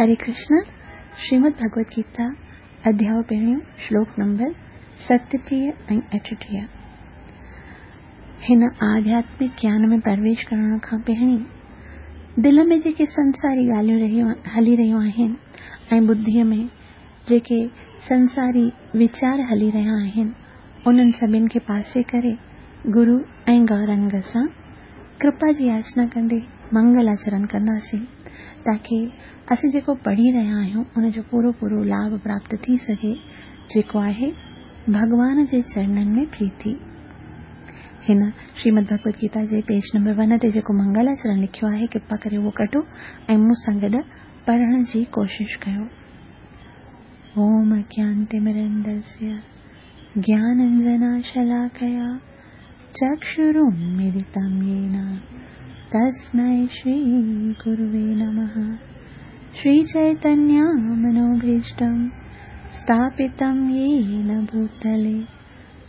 हरे कृष्ण। श्रीमद् भगवत गीता अध्याय पहिरियों श्लोक नंबर 37 ऐं 38। हिन आध्यात्मिक ज्ञान में प्रवेश करण खां पहिरीं दिलि में जेके संसारी ॻाल्हियूं हली रहियूं आहिनि ऐं बुद्धिअ में जेके संसारी वीचार हली रहिया आहिनि, उन्हनि सभिनी खे पासे करे गुरू ऐं गौरंग सां कृपा जी याचना कंदे मंगलाचरण कंदासीं, ताकी असीं जेको पढ़ी रहिया आहियूं उनजो पूरो पूरो लाभ प्राप्त थी सघे, जेको आहे भॻवान जे चरणनि में प्रीति। हिन श्रीमद् भगवत गीता जे पेज नंबर 1 ते जेको मंगलाचरण लिखियो आहे, कृपा करे उहो कढो ऐं मूं सां गॾु पढ़ण जी कोशिश कयो। ओम अज्ञानतिमिरन्दस्य ज्ञानाञ्जनशलाकया चक्षुरुन्मीलितं येन तस्मै श्रीगुरुवे नमः। श्रीचैतन्यमनोभीष्टं स्थापितं येन भूतले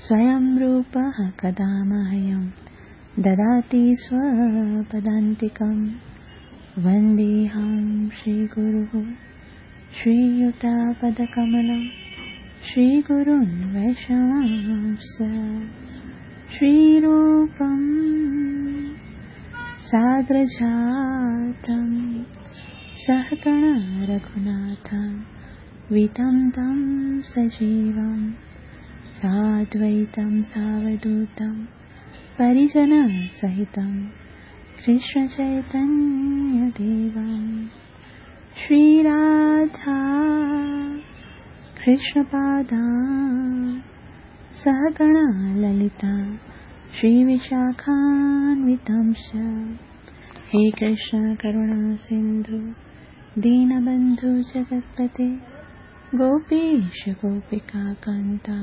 स्वयं रूपः कदा मह्यं ददाति स्वपदान्तिकं। वन्देऽहं श्रीगुरुः श्रीयुतापदकमलं श्रीगुरुन् वैष्णवांश्च। श्रीरूपं साग्रजातं सहगण रघुनाथं वितं तं सजीवं साद्वैतं सावधूतं परिजनसहितं कृष्णचैतन्यदेवं। श्रीराधा कृष्णपादा सहगण ललिता श्रीविशाखान्वितांश्च। हे कृष्ण करुणा सिन्धु दीनबन्धु जगत्पते गोपेश गोपिका कान्ता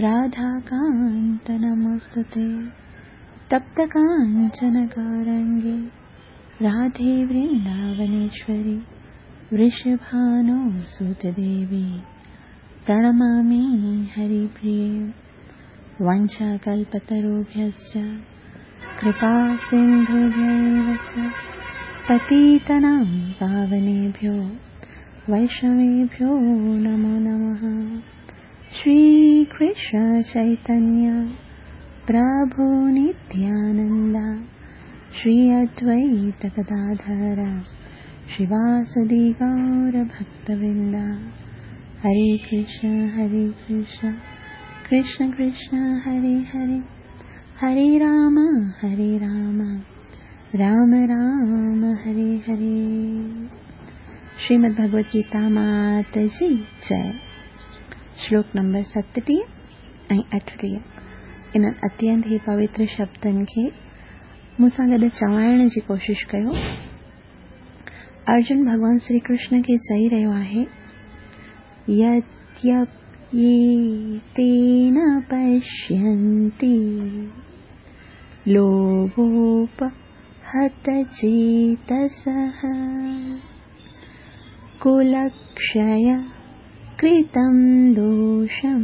राधाकान्त नमोऽस्तुते। तप्त काञ्चन गौरङ्गे राधे वृन्दावनेश्वरि वृषभानुसुते देवी प्रणमामि हरिप्रिये। वाञ्छाकल्पतरुभ्यश्च कृपा सिन्धुभ्यैव च पतितानां पावनेभ्यो वैष्णवेभ्यो नमो नमः। श्रीकृष्ण चैतन्य प्रभु नित्यानन्द श्री अद्वैत गदाधर श्रीवासदि गौरभक्तवृन्द। हरे कृष्ण कृष्ण कृष्ण हरे हरे, हरे राम राम राम हरे हरे। श्रीमद् भगवत गीता मात जी जय। श्लोक नंबर 37 ऐं 38। इन्हनि अत्यंत ई पवित्र शब्दनि खे मूं सां गॾु चवाइण जी कोशिश कयो। अर्जुन भॻवान श्री कृष्ण खे चई रहियो आहे, यद्यप्येतेन पश्यन्ति लोभोपहतचेतसः कुलक्षय कृतं दोषं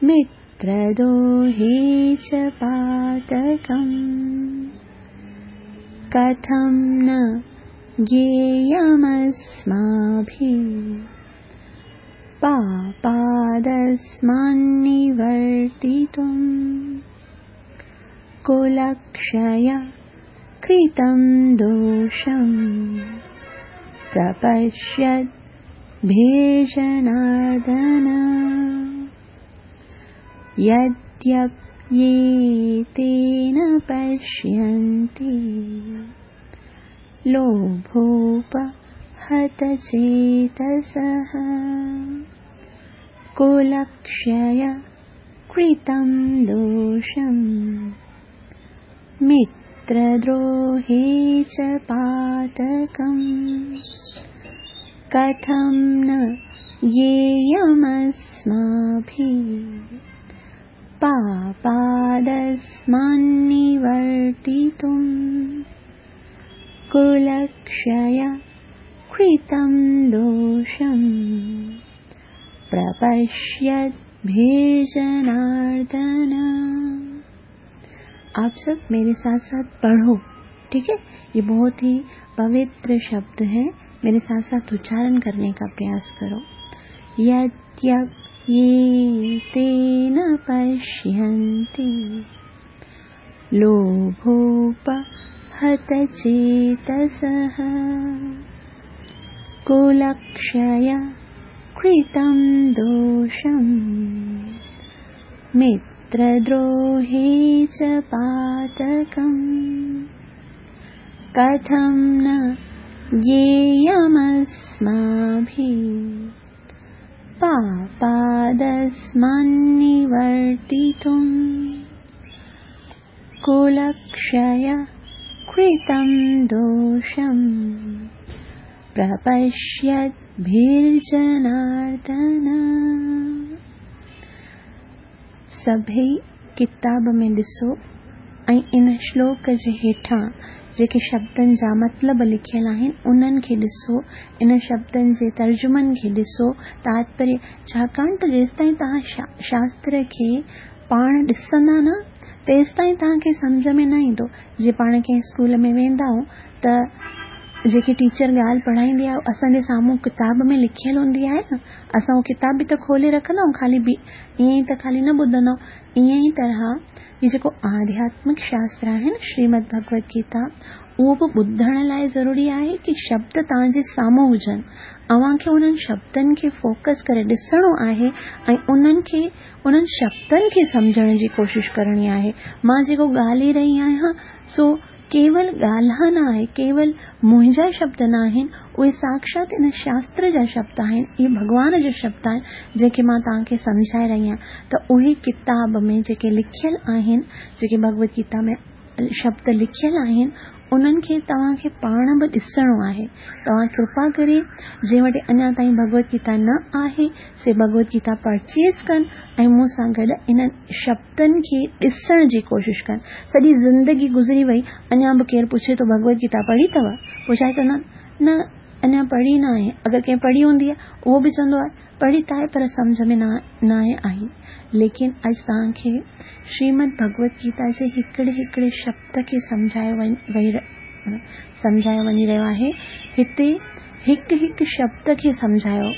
मित्रदोहे च पातकम्। कथं न ज्ञेयमस्माभिः पापादस्मान्निवर्तितुम्। कुलक्षय कृतं दोषं प्रपश्यद्भिर्जनार्दन। यद्यप्येतेन पश्यन्ति लोभोपहतचेतसः कुलक्षय कृतं दोषं मित्रद्रोहे च पातकम्। कथं न ज्ञेयमस्माभिः पापादस्मान्निवर्तितुम्। कुलक्षय कृतं दोषं प्रपश्यद्भिर्जनार्दन। आप सब मेरे साथ साथ पढ़ो, ठीक है। ये बहुत ही पवित्र शब्द है। मेरे साथ साथ उच्चारण करने का प्रयास करो। यद्यप्येते न पश्यन्ति लोभोपहतचेतसः कुलक्षय कृतं दोषं मित्रद्रोहे च पातकम् कथं न ज्ञेयमस्माभिः पापादस्मान्निवर्तितुम् कुलक्षय कृतं दोषं प्रपश्यद्भिर्जनार्दन। सभई किताब में ॾिसो ऐं इन श्लोक जे हेठां जेके शब्दनि जा मतिलब लिखियल आहिनि उन्हनि खे ॾिसो, इन शब्दनि जे तर्जुमनि खे ॾिसो, तात्पर्य। छाकाणि त जेसिताईं तव्हां शास्त्र खे पाण ॾिसंदा न तेसिताईं तव्हांखे सम्झ में न ईंदो। जीअं पाण कंहिं स्कूल में वेंदा आहियूं त जेकी टीचर ॻाल्हि पढ़ाईंदी आहे असांजे साम्हूं किताब में लिखियल हूंदी आहे न, असां उहो किताब बि त खोले रखंदा आहियूं, ख़ाली बि ईअं ई त ख़ाली न ॿुधंदा आहियूं। ईअं ई तरह हीउ जेको आध्यात्मिक शास्त्र आहे न श्रीमद् भगवद गीता, उहो बि ॿुधण लाइ ज़रूरी आहे की शब्द तव्हांजे साम्हूं हुजनि, अव्हांखे उन्हनि शब्दनि खे फोकस करे ॾिसणो आहे ऐं उन्हनि खे उन्हनि शब्दनि खे सम्झण जी कोशिश करणी आहे। मां जेको ॻाल्हाए रही आहियां सो केवल ॻाल्हि न आहे, केवल मुंहिंजा शब्द न आहिनि, उहे साक्षात इन शास्त्र जा शब्द आहिनि, इहे भॻवान जा शब्द आहिनि जेके मां तव्हांखे सम्झाए रही आहियां। त उहे किताब में जेके लिखियल आहिनि, जेके भगवद गीता में शब्द लिखियल आहिनि, उन्हनि खे तव्हांखे पाण बि ॾिसणो आहे। तव्हां कृपा करे जंहिं वटि अञा ताईं भगवद गीता न आहे से भगवद गीता परचेज़ कनि ऐं मूं सां गॾु इन्हनि शब्दनि खे ॾिसण जी कोशिश कनि। सॼी ज़िंदगी गुज़री वई, अञा बि केरु पुछे थो भगवद गीता पढ़ी अथव? पोइ छा चवंदा आहिनि, न अञा पढ़ी न आहे। अगरि कंहिं पढ़ी हूंदी आहे उहो बि चवंदो आहे पढ़ी त आहे पर सम्झ में न आहे आई। लेकिन अॼु तव्हांखे श्रीमद् भगवद गीता जे हिकिड़े हिकिड़े शब्द खे सम्झायो वञी रहियो आहे। हिते हिकु हिकु शब्द खे सम्झायो,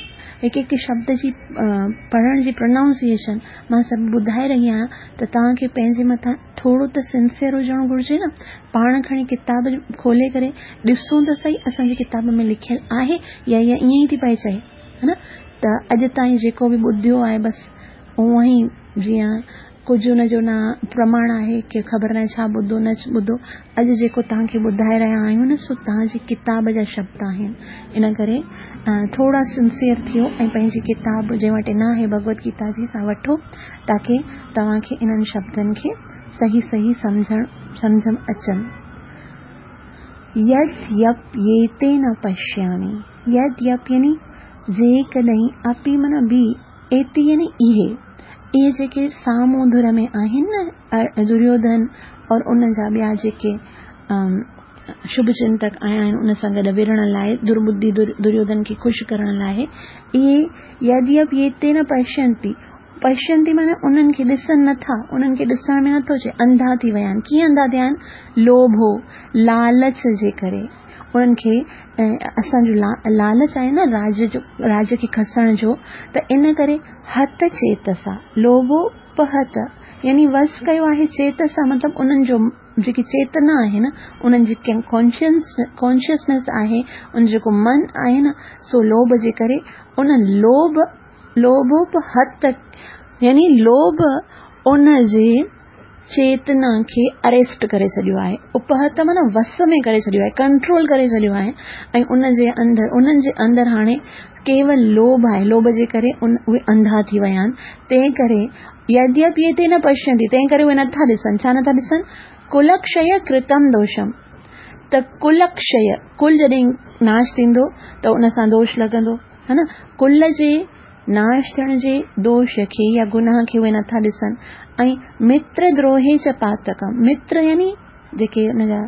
हिकु हिकु शब्द जी पढ़ण जी प्रोनाउंसिएशन मां सभु ॿुधाए रही आहियां। त तव्हांखे पंहिंजे मथां थोरो त सिंसियर हुजणु घुरिजे न। पाण खणी किताब खोले करे ॾिसूं त सही असांजी किताब में लिखियल आहे या इहा ईअं ई थी पई चए, हा न। त अॼु ताईं जेको बि ॿुधियो आहे बसि उअं ई, जीअं कुझु हुनजो न प्रमाण आहे की ख़बर न आहे छा ॿुधो न ॿुधो। अॼु जेको तव्हांखे ॿुधाए रहिया आहियूं न सो तव्हांजी किताब जा शब्द आहिनि। इन करे थोरा सिंसियर थियो ऐं पंहिंजी किताब जंहिं वटि न आहे भगवद गीता जी सा वठो, ताकी तव्हांखे इन्हनि शब्दनि खे सही सही सम्झ अचनि। यद्यप्येते न पश्यामि, यद्यप यानी जेकॾहिं, अपि माना बि, एते यानी इहे, इहे जेके साम्हूं धुर में आहिनि न दुर्योधन और उन जा ॿिया जेके शुभ चिंतक आया आहिनि उन सां गॾु विढ़ण लाइ, दुर्बुद्धि दुर्योधन खे ख़ुशि करण लाइ, इहे यद्यप्येते न पश्यन्ति, पश्यन्ति माना उन्हनि खे ॾिसनि नथा, उन्हनि खे ॾिसण में नथो अचे, अंधा थी विया आहिनि। कीअं अंधा थिया आहिनि? लोभो, लालच जे करे। उन्हनि खे असांजो लालच आहे न राज जो, राज खे खसण जो, त इन करे हत चेतसा, लोभोपहत यानी वस कयो आहे चेतसा, मतिलबु उन्हनि जो जेकी चेतना आहे न, उन्हनि जी कॉन्शियसनेस आहे, उन जेको मन आहे न, सो लोभ जे करे उन लोभोपहत यानी लोभ उन जे चेतना खे अरेस्ट करे छॾियो आहे। उपहत माना वस में करे छॾियो आहे, कंट्रोल करे छॾियो आहे ऐं उन्हनि जे अंदरि हाणे केवल लोभ आहे, लोभ जे करे उहे अंधा थी विया आहिनि। तंहिं करे यद्यपि एते न पश्यन्ति, तंहिं करे उहे नथा ॾिसनि। छा नथा ॾिसनि? कुलक्षय कृतम दोषम। त कुलक्षय, कुल जॾहिं नाश थींदो त उन सां दोष लॻंदो, हा न। कुल जे नाश थियण जे दोष खे या गुनाह खे उहे नथा ॾिसनि। ऐं मित्र द्रोहे च पातकम, मित्र यानी जेके हुनजा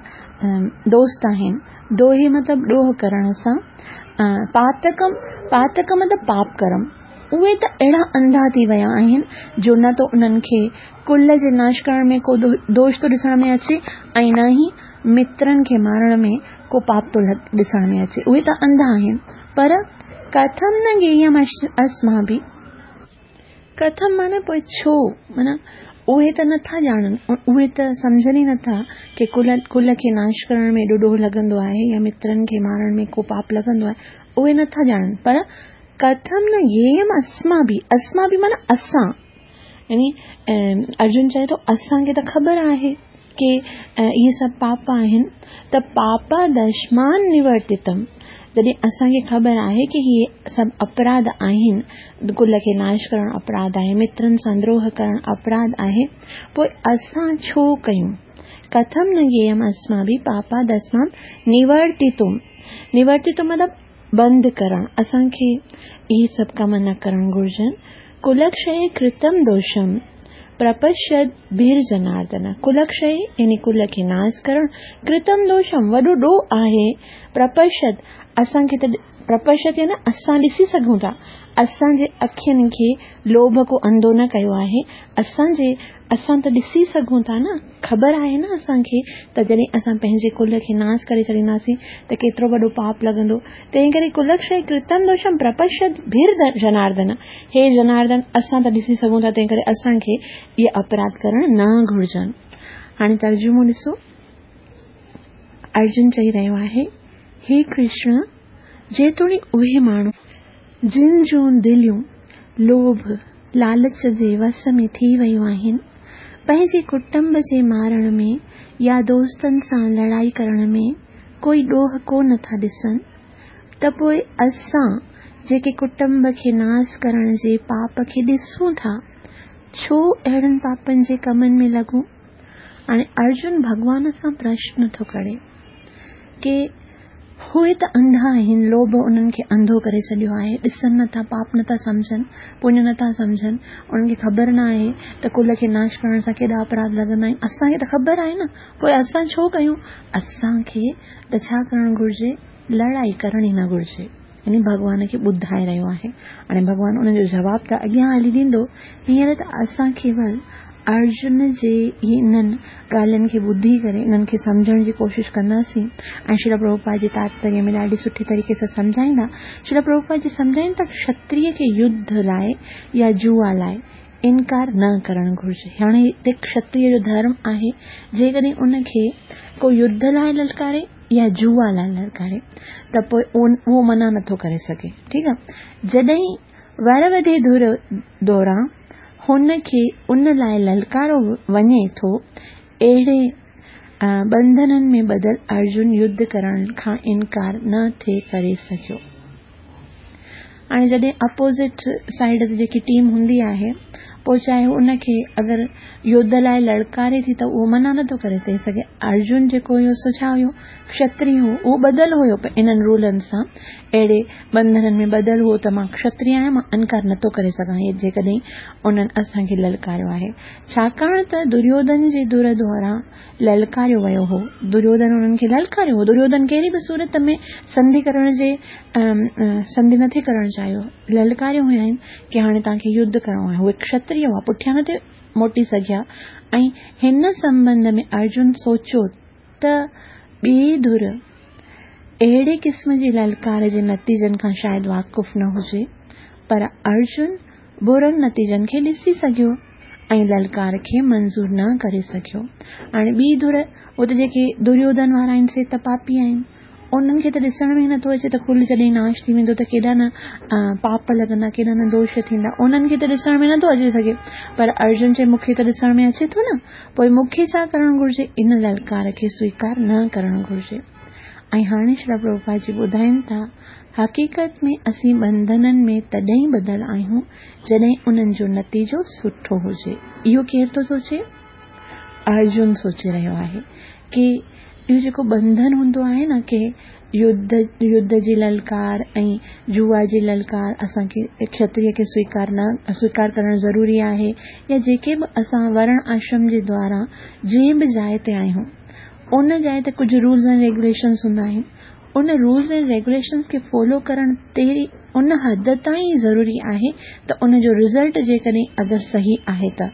दोस्त आहिनि, दोहे मतिलबु ॾोह करण सां, पातकम, पातकम मतिलबु पाप करम, उहे त अहिड़ा अंधा थी विया आहिनि जो न त उन्हनि खे कुल जे नाश करण में को दोष थो ॾिसण में अचे ऐं न ई مترن کي مارڻ ۾ ڪو پاپ ٿو ڏسڻ ۾ اچي. اهي ته انڌا آهن. پر ڪٿم نه گييم اسماڀي. ڪٿم معنيٰ پوء ڇو؟ معنيٰ اهي ته نٿا ڄاڻن، اهي ته سمجهن ئي نٿا ڪي ڪل ڪل کي ناش ڪرڻ ۾ ايڏو ڏوهه لڳندو آهي يا مترن کي مارڻ ۾ ڪو پاپ لڳندو آهي، اهي نٿا ڄاڻن. پر ڪٿم نه گييم اسماڀي، اسماڀي معنيٰ اسان، يعني ارجن چئي ٿو اسان کي ته خبر آهي ڪي اهي سڀ پاپ آهن ته پاپادشمان نورتتم جڏهن اسان کي خبر آهي ڪي هي سڀ اپراڌ آهن ڪل کي ناش ڪرڻ اپراڌ آهي مترن سان دروهه ڪرڻ اپراڌ آهي پوء اسان ڇو ڪيون ڪٿم نه گييم اسماڀي پاپادشمان نورتتم نورتتم مطلب بند ڪرڻ، اسان کي اهي سڀ ڪم نه ڪرڻ گهرجن. ڪلڪشيه ڪرتم دوشم پرپشد ڀير جناردن، ڪلڪشيه يعني ڪل کي ناس ڪرڻ، ڪرتم دوشم وڏو ڏوهه آهي، پرپشد اسان کي ته پرپشد يعني اسان ڏسي سگهون ٿا، اسان جي اکين کي لوڀ ڪو انڌو نه ڪيو آهي، اسان جي اسان ته ڏسي سگهون ٿا نه، خبر آهي نه اسان کي ته جڏهن اسان پنهنجي ڪل کي ناس ڪري ڇڏينداسين ته ڪيترو وڏو پاپ لڳندو. تنهن ڪري ڪلڪشيه ڪرتم دوشم پرپشد ڀير جناردن، هي جناردن اسان ته ڏسي سگهون ٿا تنهن ڪري اسان کي اهي اپراڌ ڪرڻ نه گهرجن. هاڻي ترجمو ڏسو. ارجن چئي رهيو آهي، هي ڪرشن! جيتوڻيڪ اهي ماڻهو، جن جون دليون لوڀ، لالچ جي وس ۾ ٿي ويون آهن، پنهنجي ڪٽنب جي مارڻ ۾ يا دوستن سان لڙائي ڪرڻ ۾ ڪوئي ڏوهه ڪو نه ٿا ڏسن، ته پوء اسان جيڪي ڪٽنب کي ناس ڪرڻ جي پاپ کي ڏسون ٿا، ڇو اهڙن پاپن جي ڪمن ۾ لڳون؟ هاڻي ارجن ڀڳوان سان پرشن ٿو ڪري ڪي اهي ته انڌا آهن، لوڀ انهن کي انڌو ڪري ڇڏيو آهي، ڏسن نه ٿا، پاپ نه ٿا سمجهن، پڃ نه ٿا سمجهن، انهن کي خبر نه آهي ته ڪل کي ناش ڪرڻ سان ڪيڏا اپراڌ لڳندا آهن، اسان کي ته خبر آهي نه، پوء اسان ڇو ڪيون؟ اسان کي ته ڇا ڪرڻ گهرجي؟ لڙائي ڪرڻ ئي نه گهرجي. يعني ڀڳوان کي ٻڌائي رهيو آهي. هاڻي ڀڳوان ان جو جواب ته اڳيان هلي ڏيندو، هينئر ته اسان ڪيول ارجن جي انهن ڳالهين کي ٻڌي ڪري انهن کي سمجهڻ جي ڪوشش ڪنداسين ۽ شريل پرڀوپاد جي تاتپريه ۾ ڏاڍي سٺي طريقي سان سمجهائيندا. شريل پرڀوپاد جي سمجهائين ٿا ڪشتريه کي يڌ لاء يا جوا لاء انڪار نه ڪرڻ گهرجي. هاڻي هتي ڪشتريه جو ڌرم آهي جيڪڏهن ان کي ڪو يڌ لاء للڪاري يا جوا لاء للڪاري ته پوء اهو منع نٿو ڪري سگهي. ٺيڪ آهي. جڏهن ور وڌي ڌر دوران هن کي ان لاء للڪارو وڃي ٿو، اهڙي ٻنڌنن ۾ ٻڌل ارجن يڌ ڪرڻ کان انڪار نه ٿي ڪري سگهيو. هاڻي جڏهن اپوزٽ سائيڊ تي جيڪي ٽيم هوندي آهي پوء چاهي هو ان کي اگر يڌ لاء للڪاري ٿي ته اهو منع نٿو ڪري ٿي سگهي. ارجن جيڪو هيو سو ڇا هيو؟ کشتري هو، اهو ٻڌل هيو انهن رولن سان، اهڙي ٻنڌنن ۾ ٻڌل هو ته مان کشتري آهيان، مان انڪار نٿو ڪري سگهان جيڪڏهن انهن اسان کي للڪاريو آهي. ڇاڪاڻ ته دريوڌن جي ڌر دواران للڪاريو ويو هو. دريوڌن انهن کي للڪاريو هو. دريوڌن ڪهڙي به صورت ۾ سنڌي ڪرڻ جي سنڌي نٿي ڪرڻ چاهيو. للڪاريو هيائين ڪي هاڻي توهان کي يڌ ڪرڻو آهي. اهي کشتري هئا، پٺيان نٿي موٽي سگهيا ۽ هن سنٻنڌ ۾ ارجن سوچيو ته ٻي ڌر اهڙي قسم جي للڪار جي نتيجن کان شايد واقف نه هجي، پر ارجن برن نتيجن کي ڏسي سگهيو ۽ للڪار کي منظور نه ڪري سگهيو. هاڻي ٻي ڌر، اتي جيڪي دريوڌن وارا آهن سي ته پاپي آهن. انهن کي ته ڏسڻ ۾ ئي نٿو اچي ته ڪل جڏهن ناش ٿي ويندو ته ڪيڏا نه پاپ لڳندا، ڪيڏا نه دوش ٿيندا. انهن کي ته ڏسڻ ۾ نٿو اچي سگهي. پر ارجن چئي مون کي ته ڏسڻ ۾ اچي ٿو نه. پوء مون کي ڇا ڪرڻ گهرجي؟ ان للڪار کي سويڪار نه ڪرڻ گهرجي. ۽ هاڻي شريل پرڀوپاد جي ٻڌائين ٿا، حقيقت ۾ اسين ٻنڌنن ۾ تڏهن ٻڌل آهيون، جڏهن انهن جو نتيجو سٺو هجي. اهو ڪير ٿو سوچي؟ ارجن سوچي رهيو آهي ڪي اهو جيڪو ٻنڌن هوندو آهي نه ڪي يڌ يڌ جي للڪار ۽ جوا جي للڪار اسان کي کشتريه کي سويڪار نه سويڪار ڪرڻ ضروري آهي يا جيڪي به اسان ورڻ آشرم جي دواران جنهن به جاء تي آهيون ان جاء تي ڪجهه رولز ۽ ريگوليشنز هوندا آهن. ان رولز اينڊ ريگوليشنز کي فالو ڪرڻ تيري ان حد تائين ئي ضروري آهي ته ان جو رزلٽ جيڪڏهن اگر صحيح آهي ته.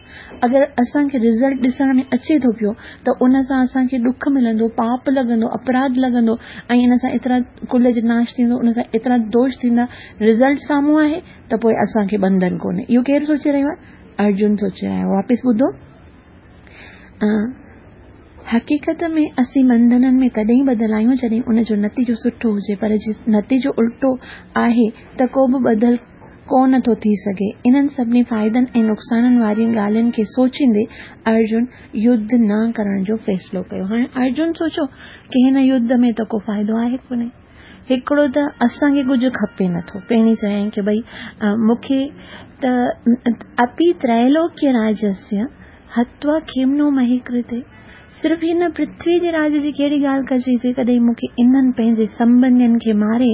اگر اسان کي رزلٽ ڏسڻ ۾ اچي ٿو پيو ته ان سان اسان کي ڏک ملندو، پاپ لڳندو، اپراڌ لڳندو ۽ ان سان ايترا ڪل جو ناش ٿيندو، ان سان ايترا دوش ٿيندا، رزلٽ سامهون آهي ته پوء اسان کي ٻنڌن ڪونهي. اهو ڪير سوچي رهيو آهي؟ ارجن سوچي رهيو آهي. واپس ٻڌو. حقيقت ۾ اسين ٻنڌنن ۾ تڏهن ٻڌل آهيون جڏهن ان جو نتيجو سٺو هجي پر جي نتيجو الٽو آهي ته ڪو به ٻڌل ڪو نه ٿو ٿي سگهي. انهن سڀني فائدن ۽ نقصانن وارين ڳالهين کي سوچيندي ارجن يڌ نه ڪرڻ جو فيصلو ڪيو. هاڻي ارجن سوچيو ڪي هن يڌ ۾ ته ڪو فائدو آهي ڪونهي. هڪڙو ته اسان کي ڪجهه کپي نه ٿو. پهرين چيائين ڪي ڀئي مون کي ته اپي تريلوڪيه راجسيه هتوا کيمنو مهي ڪرتي، صرف هن پرٿوي جي راڄ جي ڪهڙي ڳالهه ڪجي، جيڪڏهن مون کي انهن پنهنجي سنٻنڌين کي ماري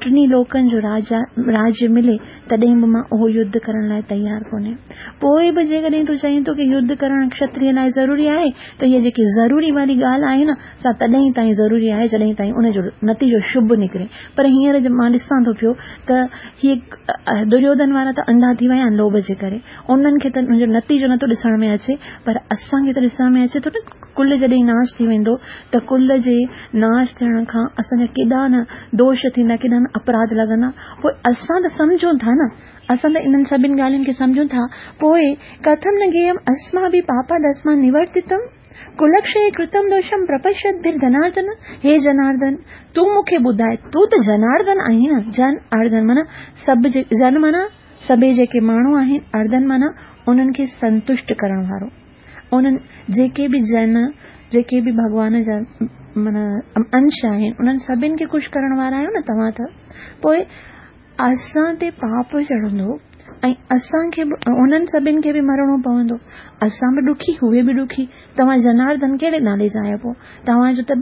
ٽنهي لوڪن جو راڄ ملي، تڏهن به مان اهو يڌ ڪرڻ لاء تيار ڪونهي. پوء به جيڪڏهن تون چئين ٿو ڪي يڌ ڪرڻ کشتريه لاء ضروري آهي، ته هيء جيڪي ضروري واري ڳالهه آهي نه، سا تڏهن تائين ضروري آهي، جڏهن تائين ان جو نتيجو شڀ نڪري. پر هينئر مان ڏسان ٿو پيو ته هي دريوڌن وارا ته انڌا ٿي ويا آهن لوڀ جي ڪري. انهن کي ته ان جو نتيجو نٿو ڏسڻ ۾ اچي پر اسان کي ته ڏسڻ ۾ اچي ٿو نه ڪل جڏهن ناش ٿي ويندو ته ڪل جي ناش ٿيڻ کان اسان جا ڪيڏا نه دوش ٿيندا ڪيڏا نه اپراڌ لڳندا پوء اسان ته سمجهون ٿا نه اسان ته انهن سڀن ڳالهين کي سمجهون ٿا پوء ڪٿم نه گيم اسما به پاپا دسما نورتتم ڪلڪشي ڪرتم دوشم پرپشت ڀر جناردن هي جناردن تون مون کي ٻڌاء تون ته جناردن آهين نه جن اردن معنيٰ سڀ جن معنيٰ سڀئي جيڪي ماڻهو آهن اردن معنيٰ انهن کي سنتشٽ ڪرڻ وارو. انهن جيڪي به جن، جيڪي به ڀڳوان جا معنيٰ انش آهن، انهن سڀن کي خوش ڪرڻ وارا آهيو نه توهان ته. پوء اسان تي پاپ چڙهندو ۽ اسان کي به انهن سڀن کي به مرڻو پوندو. اسان به ڏکي، اهي به ڏکي. توهان جناردن ڪهڙي نالي جا آهيو پوء؟ توهان جو ته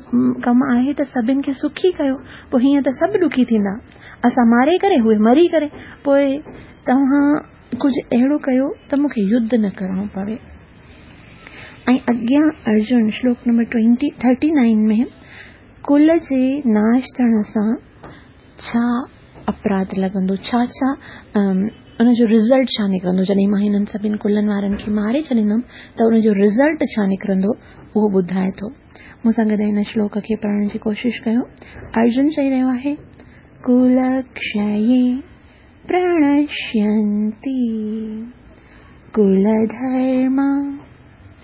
ڪم آهي ته سڀن کي سکي ڪيو، پوء هيئن ته سڀ ڏکي ٿيندا. اسان ماري ڪري اهي مري ڪري پوء توهان ڪجهه اهڙو ڪيو ته مون کي يڌ نه ڪرڻو پوي. ۽ اڳيان ارجن شلوڪ نمبر ٽوئنٽي ٿرٽي نائن ۾ ڪل جي ناش ٿيڻ سان ڇا اپراڌ لڳندو ڇا ڇا ان جو رزلٽ ڇا نڪرندو جڏهن مان هنن سڀن ڪلن وارن کي ماري ڇڏيندم ته ان جو رزلٽ ڇا نڪرندو اهو ٻڌائي ٿو. مون سان گڏ هن شلوڪ کي پڙهڻ جي ڪوشش ڪيو. ارجن چئي رهيو آهي، ڪلڪشيي پرڻشينتي ڪلڌرما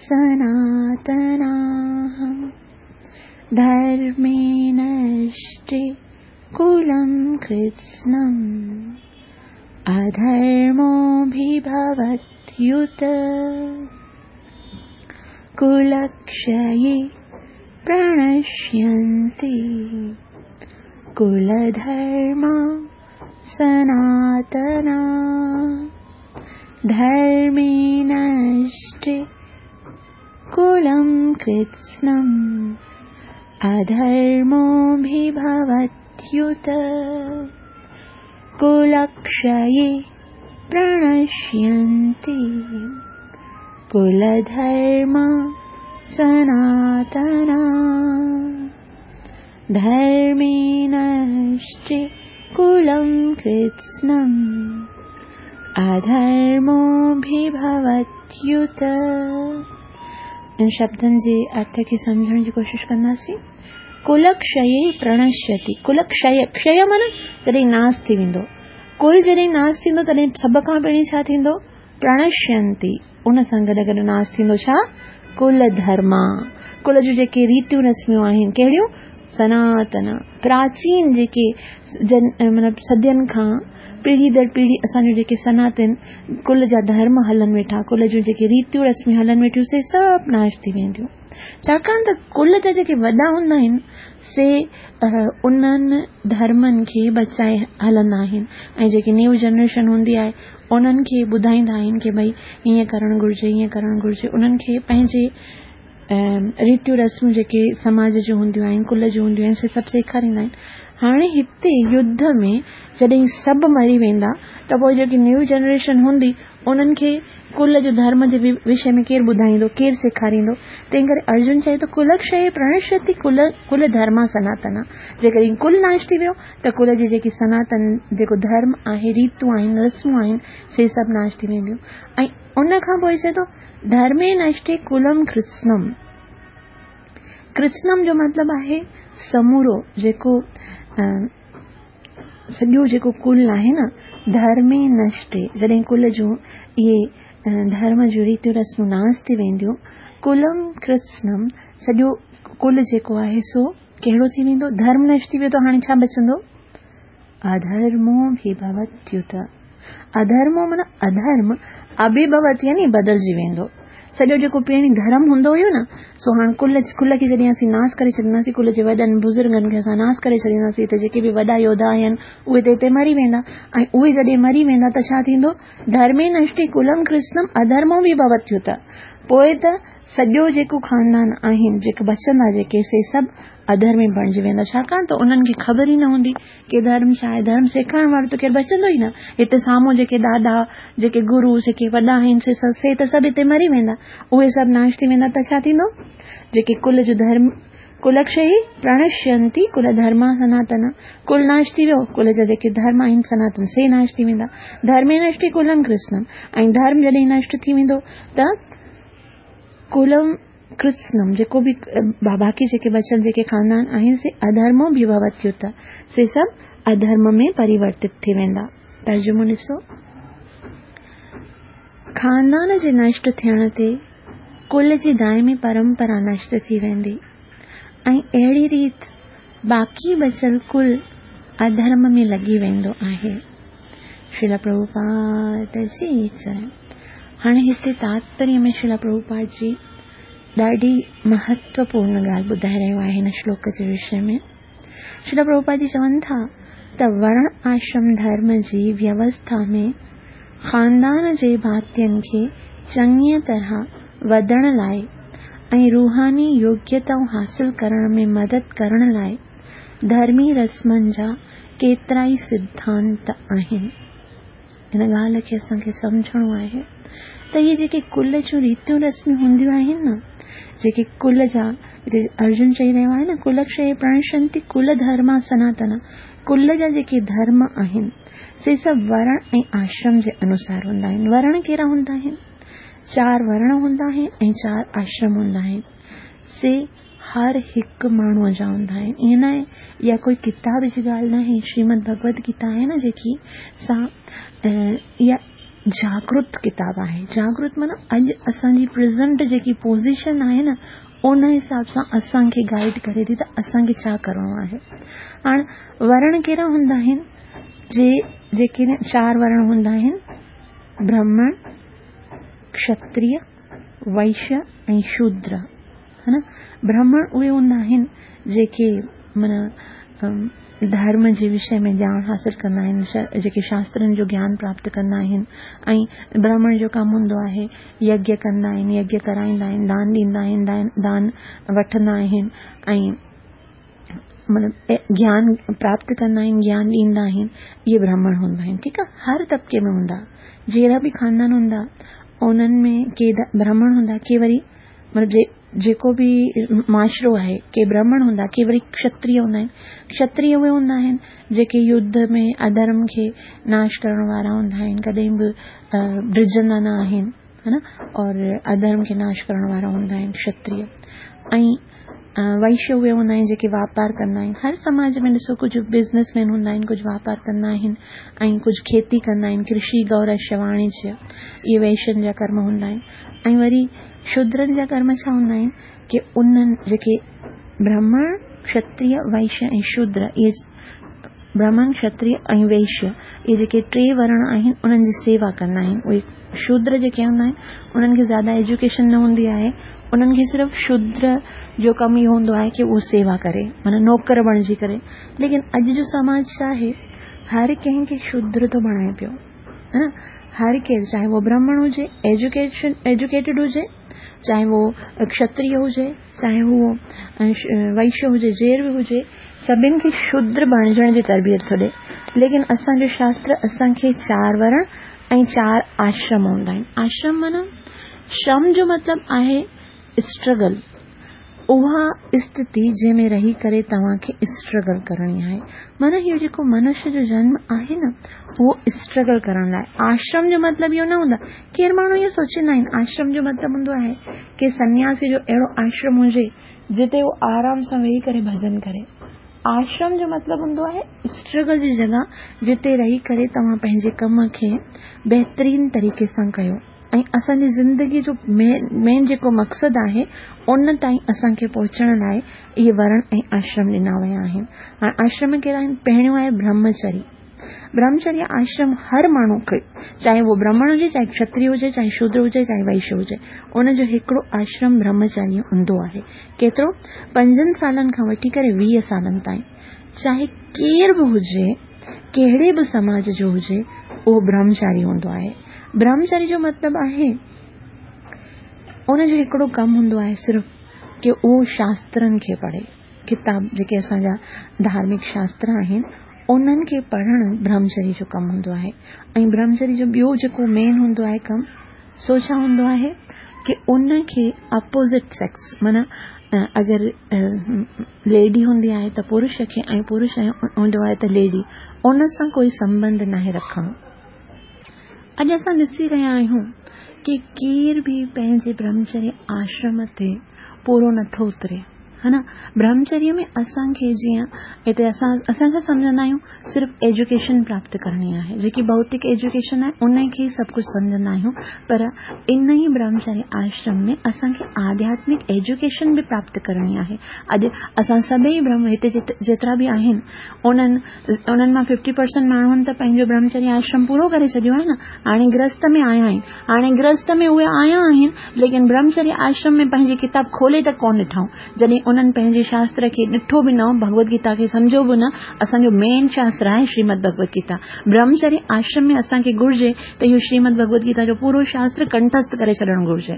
سناتنا ڌرمي نشٽي ڪلم ڪرتسنم اڌرمو ڀي ڀوتيوت. ڪلڪشيي پرڻشينتي ڪلڌرما سناتنا ڌرمي نشٽي ڪلم ڪرتسنم اڌرمو ڀي ڀوتيوت. ڪلڪشيي پرڻشينتي ڪلڌرما سناتنا ڌرمي نشٽي ڪلم ڪرتسنم اڌرمو ڀي ڀوتيوت. ان شبدن جي ارٿ کي سمجهڻ جي ڪوشش ڪنداسين. ڪلڪشيي پرڻشيتي، ڪلڪشي، ڪشي معنيٰ جڏهن ناس ٿي ويندو. ڪل جڏهن ناس ٿيندو تڏهن سڀ کان پهرين ڇا ٿيندو؟ پرڻشينتي، ان سان گڏ گڏ ناس ٿيندو ڇا؟ ڪل ڌرما، ڪل جون جيڪي ريتيون رسميون آهن، ڪهڙيون؟ سناتن، پراچين جيڪي جن مطلب صدين کان پيڙهي در پيڙهي اسان جون جيڪي سناتن ڪل جا ڌرم هلن ويٺا، ڪل جون جيڪي ريتيون رسميون هلن ويٺيون سي سڀ ناش ٿي وينديون. ڇاڪاڻ ته ڪل جا جيڪي وڏا هوندا آهن سي انهن ڌرمن کي بچائي هلندا آهن ۽ جيڪي نيو جنريشن هوندي آهي انهن کي ٻڌائيندا آهن ڪي ڀئي هيئن ڪرڻ گهرجي هيئن ڪرڻ گهرجي انهن کي پنهنجي ريتيون رسمون جيڪي سماج جون هونديون آهن ڪل جون هونديون آهن سي سڀ سيکاريندا آهن. هاڻي هتي يڌ ۾ جڏهن سڀ مري ويندا ته پوء جيڪي نيو جنريشن هوندي انهن کي ڪل جو ڌرم جي وشي ۾ ڪير ٻڌائيندو، ڪير سيکاريندو؟ تنهن ڪري ارجن چئي ٿو ڪلڪشيه پرڻشيتي ڪل ڪل ڌرما سناتنا. جيڪڏهن ڪل ناش ٿي ويو ته ڪل جي جيڪي سناتن جيڪو ڌرم آهي، ريتون آهن، رسمون آهن، سي سڀ ناش ٿي وينديون. ۽ ان کان پوء چئي ٿو ڌرمي نشٽي ڪلم ڪرتسنم. ڪرتسنم جو مطلب آهي سمورو جيڪو سڄو جيڪو ڪل آهي نه ڌرمي نشٽي جڏهن ڪل جون اهي ڌرم جون ريتيون رسمون ناس ٿي وينديون ڪلم ڪرتسنم سڄو ڪل جيڪو آهي سو ڪهڙو ٿي ويندو ڌرم نشٽ ٿي ويو ته هاڻي ڇا بچندو اڌرمو ڀي ڀوتيوت اڌرمو معنيٰ اڌرم اڀڀوت يعني بدلجي ويندو. سڄو جيڪو پهرين ڌرم هوندو هيو نه سو هاڻ ڪل ڪل کي جڏهن اسين ناس ڪري ڇڏينداسين ڪل جي وڏن بزرگن کي اسان ناس ڪري ڇڏينداسين ته جيڪي به وڏا يوڌا آهن اهي ته هتي مري ويندا ۽ اهي جڏهن مري ويندا ته ڇا ٿيندو ڌرمي نشٽي ڪلم ڪرشنم اڌرمو به ڀوتيوت پوء ته سڄو جيڪو خاندان آهن جيڪي بچندا جيڪي سي سڀ اڌرمي بڻجي ويندا ڇاڪاڻ ته انهن کي خبر ئي نه هوندي ڪي ڌرم ڇا آهي ڌرم سيکارڻ وارو ته ڪير بچندو ئي نه هتي سامهون جيڪي ڏاڏا جيڪي گرو جيڪي وڏا آهن سي سي ته سڀ هتي مري ويندا اهي سڀ ناش ٿي ويندا ته ڇا ٿيندو جيڪي ڪل جو ڌرم ڪلڪشي پرڻشينتي ڪل ڌرما سناتن ڪل ناش ٿي ويو ڪل جا جيڪي ڌرم آهن سناتن سي ناش ٿي ويندا ڌرمي نشٽي ڪلم ڪرشنم ۽ ڌرم جڏهن نشٽ ٿي ويندو ته ڪلم ڪرتسنم جيڪو به باقي جيڪي بچيل جيڪي خاندان آهن سي اڌرمو ڀي ڀوتيوت سي سڀ اڌرم ۾ پريورتت ٿي ويندا. ترجمو ڏسو. خاندان جي نشٽ ٿيڻ تي ڪل جي دائمي پرمپرا نشٽ ٿي ويندي ۽ اهڙي ريت باقي بچيل ڪل اڌرم ۾ لڳي ويندو آهي. شريلا پرڀوپاد جي جئي. هاڻي هتي تاتپريه ۾ شريلا پرڀوپاد جي ڏاڍي مهتوپورڻ ڳالهه ٻڌائي رهيو آهي هن شلوڪ جي وشي ۾. شريلا پرڀوپاد جي چون ٿا ته ورڻ آشرم ڌرم جي ويوسٿا ۾ خاندان جي ڀاتين کي چڱيء طرح وڌڻ لاء ۽ روحاني يوگيتائون حاصل ڪرڻ ۾ مدد ڪرڻ لاء ڌرمي رسمن جا ڪيترائي سڌانت آهن. هن ڳالهه کي اسان کي سمجهڻو آهي ته اهي جيڪي ڪل جون ريتيون رسميون هونديون آهن نه جيڪي ڪل جا ارجن چئي رهيو آهي نه ڪلڪشي پرڻشنتي ڪل ڌرما سناتن ڪل جا جيڪي ڌرم آهن سي سڀ ورڻ ۽ آشرم جي انوسار هوندا آهن. ورڻ ڪهڙا هوندا آهن؟ چار ورڻ هوندا آهن ۽ چار آشرم هوندا آهن. سي هر هڪ ماڻهوء جا هوندا آهن. ائين ناهي اها ڪوئي ڪتاب جي ڳالهه ناهي. شريمد ڀڳوت گيتا آهي نه جيڪي سا اها جاگرت ڪتاب آهي. جاگرت معنيٰ اڄ اسان جي پريزنٽ جيڪي پوزيشن آهي نه ان حساب سان اسان کي گائيڊ ڪري ٿي ته اسان کي ڇا ڪرڻو آهي. هاڻ ورڻ ڪهڙا هوندا آهن؟ جي جيڪي چار ورڻ هوندا آهن برهمڻ، کشتريه، وئشيه ۽ شودر ها نه برهمڻ اهي هوندا آهن جيڪي معنيٰ ڌرم جي وشي ۾ ڄاڻ حاصل ڪندا آهن جيڪي شاسترن جو گيان پراپت ڪندا آهن ۽ برهمڻ جو ڪم هوندو آهي يگيه ڪندا آهن يگيه ڪرائيندا آهن دان ڏيندا آهن دان وٺندا آهن ۽ مطلب گيان پراپت ڪندا آهن گيان ڏيندا آهن اهي برهمڻ هوندا آهن ٺيڪ آهي هر طبقي ۾ هوندا جهڙا به خاندان هوندا انهن ۾ ڪي برهمڻ هوندا ڪي وري مطلب جيڪو به معاشرو آهي ڪي برهمڻ هوندا ڪي وري کشتريه هوندا آهن کشتريه اهي هوندا آهن جيڪي يڌ ۾ اڌرم کي ناش ڪرڻ وارا هوندا آهن ڪڏهن به ڊڄندا نه آهن ها نه اور اڌرم کي ناش ڪرڻ وارا هوندا آهن کشتريه ۽ وئشيه اهي هوندا آهن جيڪي واپار ڪندا آهن هر سماج ۾ ڏسو ڪجهه بزنس مين هوندا آهن ڪجهه واپار ڪندا آهن ۽ ڪجهه کيتي ڪندا آهن ڪرشي گورشيه واڻيجيه اهي وئشين جا ڪرم هوندا آهن ۽ وري شودرن جا ڪرم ڇا هوندا آهن ڪي انهن جيڪي برهمڻ کشتريه وئشيه ۽ شودر اهي برهمڻ کشتريه ۽ وئشيه اهي جيڪي ٽي ورڻ آهن انهن جي سيوا ڪندا آهن اهي شودر جيڪي هوندا آهن انهن کي زياده ايجوڪيشن نه هوندي آهي انهن کي صرف شودر جو ڪم اهو هوندو آهي ڪي اهو سيوا ڪري معنيٰ نوڪر بڻجي ڪري ليڪن اڄ جو سماج ڇا آهي هر ڪنهن کي شودر ٿو بڻائي پيو هر ڪير چاهي اهو برهمڻ هجي ايجوڪيشن ايجوڪيٽيڊ هجي چاهي اهو ڪشتريه هجي، چاهي اهو وئشيه هجي، جير به هجي، سڀن کي شودر بڻجڻ جي تربيت ٿو ڏئي. ليڪن اسان جو شاستر اسان کي چار ورڻ ۽ چار آشرم هوندا آهن. آشرم معنيٰ شرم جو مطلب آهي اسٽرگل، اها استٿي جنهن ۾ رهي ڪري توهان کي اسٽرگل ڪرڻي آهي. معنيٰ اهو جيڪو منش جو جنم آهي نه اهو اسٽرگل ڪرڻ لاء. آشرم جو مطلب اهو نه هوندو آهي. ڪير ماڻهو اهو سوچيندا آهن آشرم جو مطلب هوندو آهي ڪي سنياسي جو اهڙو آشرم هجي جتي هو آرام سان ويهي ڪري ڀڄن ڪري. آشرم جو مطلب هوندو آهي اسٽرگل جي جڳهه جتي رهي ڪري توهان پنهنجي ڪم کي بهترين طريقي سان ڪيو ۽ اسان جي زندگي جو مين جيڪو مقصد آهي ان تائين اسان کي پهچڻ لاء اهي ورڻ ۽ آشرم ڏنا ويا آهن. هاڻ آشرم ڪهڙا آهن؟ پهريون آهي برهمچري. برهمچريه آشرم هر ماڻهو کي چاهي اهو برهمڻ هجي چاهي کشتري هجي چاهي شودر هجي چاهي وئشيه هجي ان جو هڪڙو آشرم برهمچاريه هوندو آهي. ڪيترو؟ پنجن سالن کان وٺي ڪري 20 سالن تائين. چاهي ڪير به هجي، ڪهڙي به سماج جو هجي، اهو برهمچاري هوندو آهي. برهمچاري جو مطلب آهي ان جو هڪڙو ڪم هوندو آهي صرف ڪي اهو شاسترن کي پڙهي. ڪتاب جيڪي اسان جا ڌارمڪ شاستر آهن، انهن کي پڙهڻ برهمچري جو ڪم هوندو آهي. ۽ برهمچري جو ٻيو جيڪو مين هوندو آهي ڪم، سو ڇا هوندو آهي ڪي ان کي اپوزٽ سيڪس معنيٰ اگر ليڊي هوندي آهي ته پرش کي ۽ پرش هوندو آهي ته ليڊي ان سان ڪوئي سنٻنڌ ناهي رکڻو. اڄ اسان ڏسي رهيا آهيون ڪي ڪير به پنهنجي برهمچري آشرم تي پورو نٿو اتري. ها نه برهمچريه ۾ اسان کي جيئن هتي اسان اسان ڇا سمجهندا آهيون صرف ايجوڪيشن پراپت ڪرڻي آهي جيڪي ڀوتڪ ايجوڪيشن آهي ان کي ئي سڀ ڪجهه سمجهندا آهيون پر ان ئي برهمچريه آشرم ۾ اسان کي آڌياتمڪ ايجوڪيشن به پراپت ڪرڻي آهي اڄ اسان سڀئي برهم هتي جيترا به آهن انهن انهن مان ففٽي پرسنٽ ماڻهن ته پنهنجو برهمچريه آشرم پورو ڪري ڇڏيو آهي نه هاڻي گرهست ۾ آيا آهن هاڻي گرهست ۾ اهي آيا آهن، ليڪن برهمچريه آشرم ۾ پنهنجي ڪتاب کولي ته ڪونه ڏٺائون. جڏهن انهن پنهنجي شاستر کي ڏٺو به نه، ڀڳوت گيتا کي سمجهيو به نه، اسان جو مين شاستر آهي شريمد ڀڳوت گيتا. برهمچريه آشرم ۾ اسان کي گهرجي ته اهو شريمد ڀڳوت گيتا جو پورو شاستر ڪنٺست ڪري ڇڏڻ گهرجي.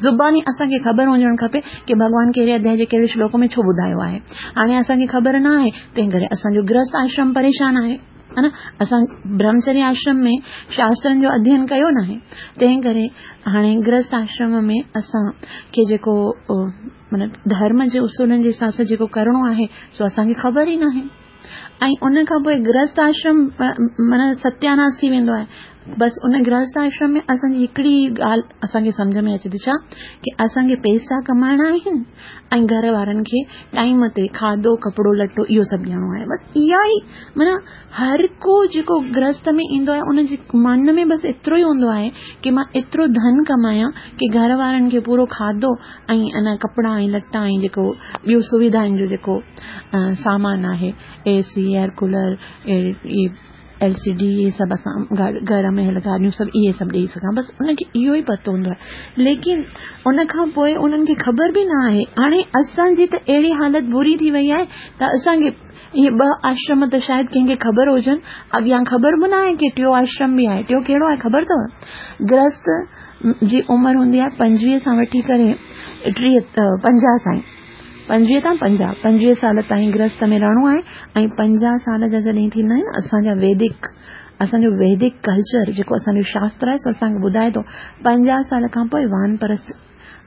زباني اسان کي خبر هجڻ کپي ڪي ڀڳوان ڪهڙي اڌيائي جي ڪهڙي شلوڪ ۾ ڇو ٻڌايو آهي. هاڻي اسان کي خبر نه آهي، تنهن ڪري اسان جو گرهست آشرم پريشان آهي. ها نه اسان برهمچريه آشرم ۾ شاسترن جو اڌين ڪيو ناهي تنهن ڪري هاڻي گرهست آشرم ۾ اسان کي جيڪو مطلب ڌرم جي اصولن جي حساب سان جيڪو ڪرڻو آهي سو اسان کي خبر ئي ناهي ۽ ان کان پوء گرهست آشرم معنيٰ ستياناس ٿي ويندو آهي بس ان گرهست آشرم ۾ اسان جي هڪڙي ڳالهه اسان کي سمجهه ۾ اچي ٿي ڇا ڪي اسان کي پيسا ڪمائڻا آهن ۽ گهر وارن کي ٽائيم تي کاڌو ڪپڙو لٽو اهو سڀ ڏيڻو آهي بس اها ئي معنيٰ هر ڪو جيڪو گرهست ۾ ايندو آهي ان جي من ۾ بس ايترو ئي هوندو آهي ڪي مان ايترو ڌن ڪمايان ڪي گهر وارن کي پورو کاڌو ۽ ان ڪپڙا ۽ لٽا ۽ جيڪو ٻيو سويڌائن جو جيڪو سامان آهي A C air cooler L C D اهي سڀ اسان گهر ۾ هل گاڏيون سڀ اهي سڀ ڏيئي سگهان بس ان کي اهو ئي پتو هوندو آهي ليڪن ان کان پوء انهن کي خبر به نه آهي هاڻي اسان جي ته اهڙي حالت بري ٿي وئي آهي ته اسان کي اهي ٻه آشرم ته شايد ڪنهن کي خبر هجن اڳيان خبر به نه آهي ڪي ٽيو آشرم به آهي ٽيو ڪهڙو آهي خبر اٿو گرهست جي عمر هوندي آهي 25 سان وٺي ڪري 30 50 تائين 25 تان 50، 25 سال تائين گرهست ۾ رهڻو آهي ۽ 50 سال جا جڏهن ٿيندا آهن اسان جا ويدڪ اسان جو ويدڪ ڪلچر جيڪو اسان جو شاستر آهي سو اسان کي ٻڌائي ٿو 50 سال کان پوء وان پرست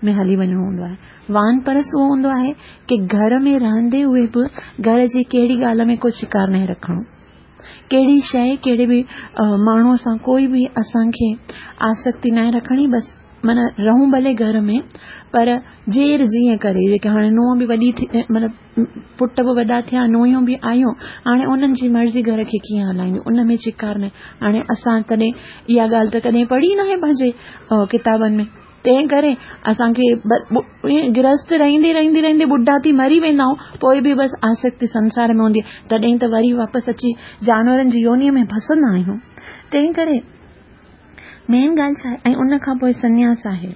۾ هلي وڃڻو هوندو آهي. وان پرست اهو هوندو آهي ڪي گهر ۾ رهندي هوئي به گهر جي ڪهڙي ڳالهه ۾ ڪو شڪار ناهي رکڻو. ڪهڙي شيء ڪهڙي به ماڻهوء سان ڪوئي به اسان کي آسڪتي ناهي رکڻي بس معنيٰ رهون ڀلي گهر ۾ پر جير جيئن ڪري جيڪي هاڻي نونهن به وڏي ٿي مطلب پٽ به وڏا ٿيا نونهيون به آيون هاڻي انهن جي مرضي گهر کي ڪيئن هلائينديون ان ۾ چڪار ناهي هاڻي اسان تڏهن اها ڳالهه ته ڪڏهن پڙهي ناهي پنهنجي ڪتابن ۾ تنهن ڪري اسان کي گرهست رهندي رهندي رهندي ٻڍا ٿي مري ويندا آهيون پوء به بس آسڪتي سنسار ۾ هوندي آهي تڏهن ته وري واپس اچي جانورن جي يوني ۾ ڦسندا آهيون تنهن ڪري مين ڳالهه ڇا آهي ۽ ان کان پوء سنياس آهي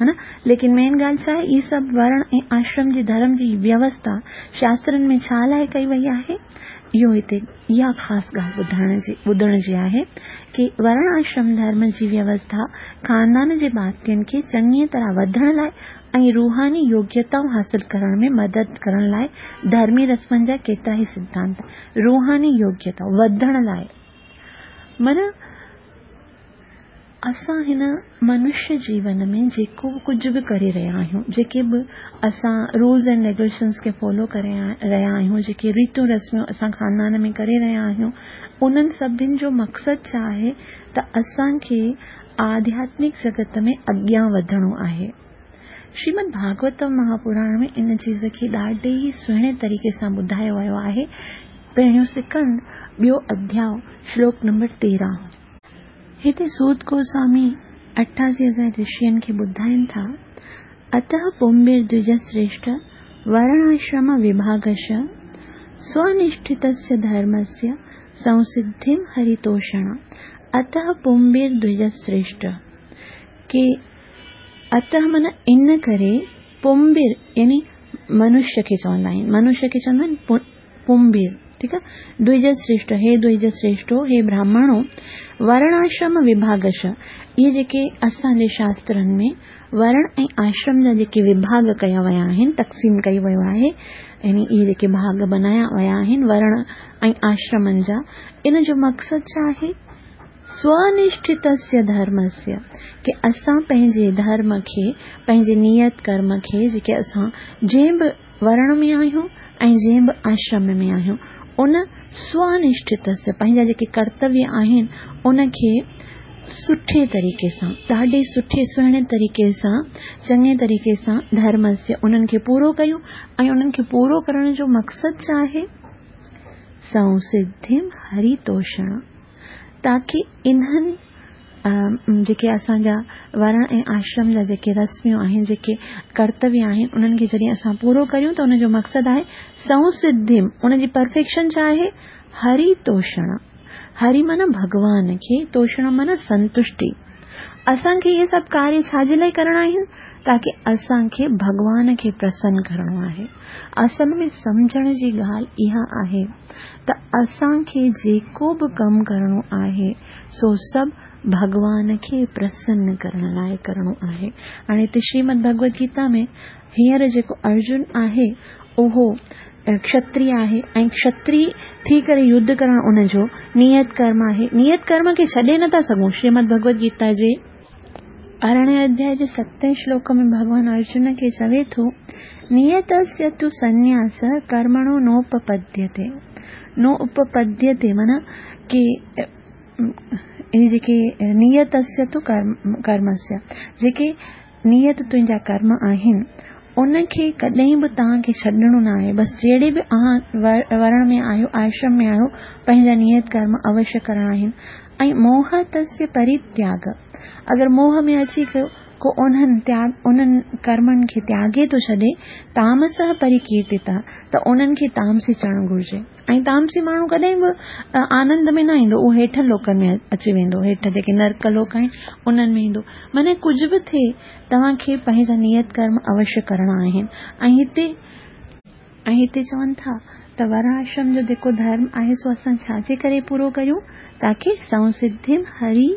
ها نه؟ ليڪن مين ڳالهه ڇا آهي؟ اهي سڀ ورڻ ۽ آشرم جي ڌرم جي ويوسٿا شاسترن ۾ ڇا لاء ڪئي وئي آهي؟ اهو هتي اها خاص ڳالهه ٻڌائڻ جي ٻڌڻ جي آهي ڪي ورڻ آشرم ڌرم جي ويوسٿا خاندان جي ڀاتين کي چڱيء طرح وڌڻ لاء ۽ روحاني يوگيتائون حاصل ڪرڻ ۾ مدد ڪرڻ لاء ڌرمي رسمن جا ڪيترائي سڌانت روحاني يوگيتائون وڌڻ لاء معنيٰ اسان هن منشيه جيون ۾ جيڪو به ڪجهه به ڪري رهيا آهيون، جيڪي به اسان رولز اينڊ ريگوليشنز کي فالو ڪري رهيا آهيون، جيڪي ريتون رسمون اسان خاندان ۾ ڪري رهيا آهيون، انهن سڀن جو مقصد ڇا آهي ته اسان کي آڌياتمڪ جڳت ۾ اڳيان وڌڻو آهي. شريمد ڀاڳوتم مهاپراڻ ۾ ان چيز کي ڏاڍي ئي سهڻي طريقي سان ٻڌايو ويو آهي. پهريون سڪند، ٻيو اڌياء، شلوڪ نمبر 13. هتي سوت گوسوامي 88,000 رشين کي ٻڌائين ٿا، اتهه پونبير دوجسريشٺ ورڻاشرم وڀاگش سونشٺتسيا ڌرمسيا سنسڌيم هريتوشڻ اتهه پونبير دوجسريشٺ ڪي اتهه معنيٰ ان ڪري پونبير يعني منشيه کي چوندا آهن منشيه کي چوندا آهن پونبير، ٺيڪ آ، دوئج سريشٽ، هي دوئج سريشٽو، هي براهمڻو، ورڻاشرم وڀاگش، اهي جيڪي اسان جي شاسترن ۾ ورڻ ۽ آشرم جا جيڪي وڀاڳ ڪيا ويا آهن، تقسيم ڪيو ويو آهي، يعني اهي جيڪي ڀاڳ بنايا ويا آهن ورڻ ۽ آشرمن جا، ان جو مقصد ڇا آهي؟ سونشٺتسيا ڌرمسيا، ڪي اسان پنهنجي ڌرم کي، پنهنجي نيت ڪرم کي، جيڪي اسان جنهن به ورڻ ۾ آهيون ۽ جنهن به آشرم ۾ آهيون ان سونشٺتسيا پنهنجا جيڪي ڪرتويه آهن ان کي سٺي طريقي سان ڏاڍي سٺي سهڻي طريقي سان چڱي طريقي سان ڌرمسيا انهن کي پورو ڪيون ۽ انهن کي پورو ڪرڻ جو مقصد ڇا آهي؟ سنسڌيم هريتوشڻ تاڪي انهن جيڪي اسان جا ورڻ ۽ آشرم جا جيڪي رسميون آهن، جيڪي ڪرتويه آهن، انهن کي جڏهن اسان پورو ڪريون ته ان جو مقصد آهي سنسڌيم، ان جي پرفيڪشن ڇا آهي؟ هري توشڻ. هري معنيٰ ڀڳوان کي، توشڻ معنيٰ سنتشٽي. اسان کي اهي سڀ ڪاريه ڇا جي لاء ڪرڻا آهن؟ تاڪي اسان کي ڀڳوان کي پرسن ڪرڻو آهي. اصل ۾ سمجهڻ جي ڳالهه اها آهي ته اسان کي جيڪو به ڪم ڪرڻو آهي سو سڀ ڀڳوان کي پرسن ڪرڻ لاء ڪرڻو آهي. هاڻي هتي شريمد ڀڳوت گيتا ۾ هينئر جيڪو ارجن آهي اهو کشتري آهي ۽ کشتري ٿي ڪري يڌ ڪرڻ ان جو نيت ڪرم آهي. نيت ڪرم کي ڇڏي نٿا سگهون. شريمد ڀڳوت گيتا جي ارڙهين اڌياء جي ستين شلوڪ ۾ ڀڳوان ارجن کي چوي ٿو، نيتسيا تو سنياس ڪرمڻو نوپپديتي نو اپپديتي معنيٰ ڪي اهي جيڪي نيتسيا تو ڪرمسيا جيڪي نيت تنهنجا ڪرم آهن، ان کي ڪڏهن به توهان کي ڇڏڻو نه آهي. بس جهڙي به اوهان ورڻ ۾ آهيو، آشرم ۾ آهيو، پنهنجا نيت ڪرم اوشيه ڪرڻا آهن. ۽ موهه تسيه پريتياڳ، اگر موهه ۾ اچي ڪو انهن تياڳ، انهن ڪرمن کي تياڳي ٿو ڇڏي، تامسه پريڪيرتتا، ته انهن کي تامسي چوڻ گهرجي. ۽ تامسي ماڻهو ڪڏهن به آنند ۾ نه ايندو، اهو هيٺن لوڪن ۾ اچي ويندو، هيٺ جيڪي نرڪ لوڪ آهن انهن ۾ ايندو. معنيٰ ڪجهه به ٿئي توهان کي پنهنجا نيت ڪرم اوشيه ڪرڻا آهن. ۽ هتي ۽ هتي چون ٿا ته ورڻاشرم جو جيڪو ڌرم آهي سو اسان ڇا جي ڪري پورو ڪريون؟ تاڪي سنسڌيم هري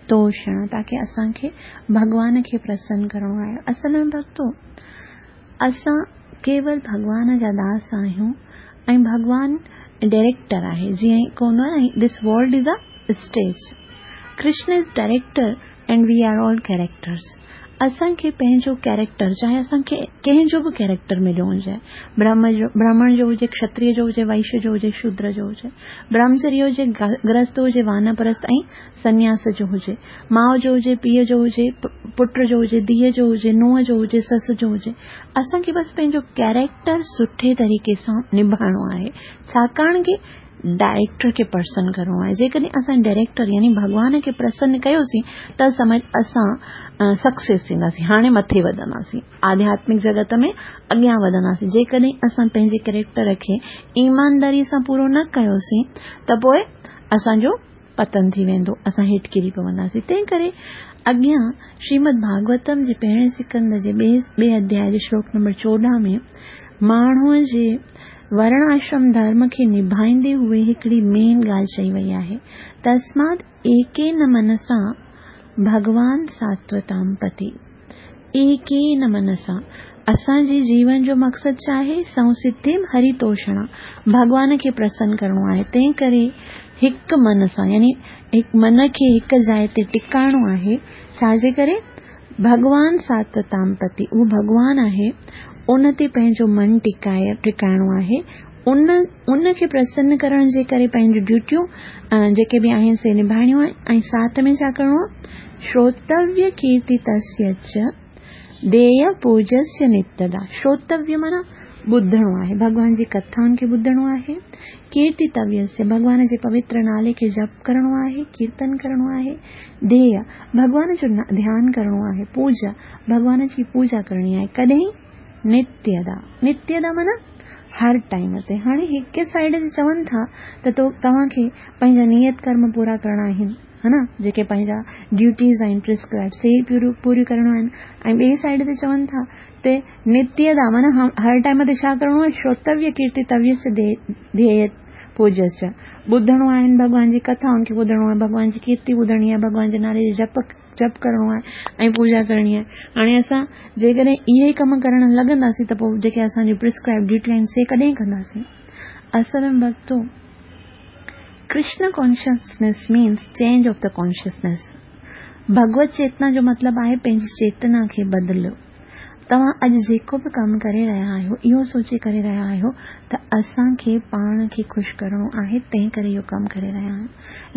توشڻ، تاڪي اسان کي ڀڳوان کي پرسن ڪرڻو آهي. اصل ۾ ڀڳتو! اسان ڪيول ڀڳوان جا داس آهيون ۽ ڀڳوان ڊئريڪٽر آهي جيئن هڪ هوندو آهي نه this world is a stage Krishna is director and we are all characters اسان کي پنهنجو ڪيريڪٽر چاهي اسان کي ڪنهن جو به ڪيريڪٽر مليو هجي برهمڻ جو برهمڻ جو هجي کشتري جو هجي وئش جو هجي شودر جو هجي برهمچري هجي گرهست هجي وانپرست ۽ سنياس جو هجي، ماء جو هجي، پيء جو هجي، پٽ جو هجي، ڌيء جو هجي، نونهن جو هجي، سس جو هجي، اسان کي بس پنهنجو ڪيريڪٽر سٺي طريقي سان نڀائڻو آهي، ڇاڪاڻ ڪي ڊائريڪٽر کي پرسن ڪرڻو آهي، جيڪڏهن اسان ڊائريڪٽر يعني ڀڳوان کي پرسن ڪيوسين ته سمجھ اسان سڪسيس ٿينداسين، هاڻي مٿي وڌنداسين، آڌياتمڪ جڳت ۾ اڳيان وڌنداسين، جيڪڏهن اسان پنهنجي ڪيريڪٽر کي ايمانداري سان پورو نه ڪيوسين ته پوء اسان جو پتن ٿي ويندو، اسان هيٺ ڪري پونداسين. تنهن ڪري اڳيان شريمد ڀاڳوتم جي پهرين سڪنڌ جي ٻئي اڌياء جي شلوڪ نمبر 14 ۾ ماڻهوء جي ورڻ آشرم ڌرم کي نڀائيندي هوئي هڪڙي مين ڳالهه چئي وئي آهي، تسمات ايڪين منسا ڀڳوان ساتوتام پتي. ايڪين منسا. اسان جي جيون جو مقصد ڇا آهي؟ سنسڌيم هري توشڻا، ڀڳوان کي پرسن ڪرڻو آهي، تنهن ڪري هڪ من سان يعني من کي هڪ جاء تي ٽڪائڻو آهي، ڇا جي ڪري؟ ڀڳوان ساتوتام پتي، اهو ڀڳوان آهي، ان تي پنهنجو من ٽڪائڻو آهي، ان کي پرسن ڪرڻ جي ڪري پنهنجون ڊيوٽيون جيڪي به آهن سي نڀائڻيون آهن ۽ ساٿ ۾ ڇا ڪرڻو آهي؟ شروتويه ڪيرتي تسيه چ دييه پوجسيه نتدا. شروتويه معنيٰ ٻڌڻو آهي، ڀڳوان جي ڪٿائن کي ٻڌڻو آهي. ڪيرتي تويسيه ڀڳوان جي پوتر نالي کي جپ ڪرڻو آهي، ڪيرتن ڪرڻو آهي. دييه ڀڳوان جو ڌيان ڪرڻو آهي. پوجا ڀڳوان جي پوجا ڪرڻي آهي. ڪڏهن؟ نتيدا. نتيدا معنيٰ هر ٽائيم تي. هاڻي هڪ سائيڊ تي چون ٿا ته توهان کي پنهنجا نيت ڪرم پورا ڪرڻا آهن. ها نه جيڪي پنهنجا ڊيوٽيز آهن پرسڪرائب سي پوريون ڪرڻيون آهن ۽ ٻئي سائيڊ تي چون ٿا ته نتيه دا معنيٰ هر ٽائيم تي ڇا ڪرڻو آهي شروتويه ڪيرتي تويس ڌيئي پوجس ٻڌڻو آهن ڀڳوان جي ڪٿائن کي ٻڌڻو آهي ڀڳوان جي ڪيرتي ٻڌڻي آهي ڀڳوان جي نالي جي جپ جپ ڪرڻو آهي ۽ پوڄا ڪرڻي آهي هاڻي اسان جيڪڏهن اهي ئي ڪم ڪرڻ لڳنداسين ته پوء جيڪي اسان جون پرسڪرائب ڊيوٽيون آهن سي ڪڏهن ڪنداسين اصل ۾ ڀڳتو Krishna consciousness means change of the consciousness. Bhagwat Chetna جو مطلب آهي پنهنجي چيتنا کي بدليو. توهان اڄ جيڪو به ڪم ڪري رهيا آهيو اهو سوچي ڪري رهيا آهيو ته اسان کي پاڻ کي خوش ڪرڻو آهي تنهن ڪري اهو ڪم ڪري رهيا آهيون.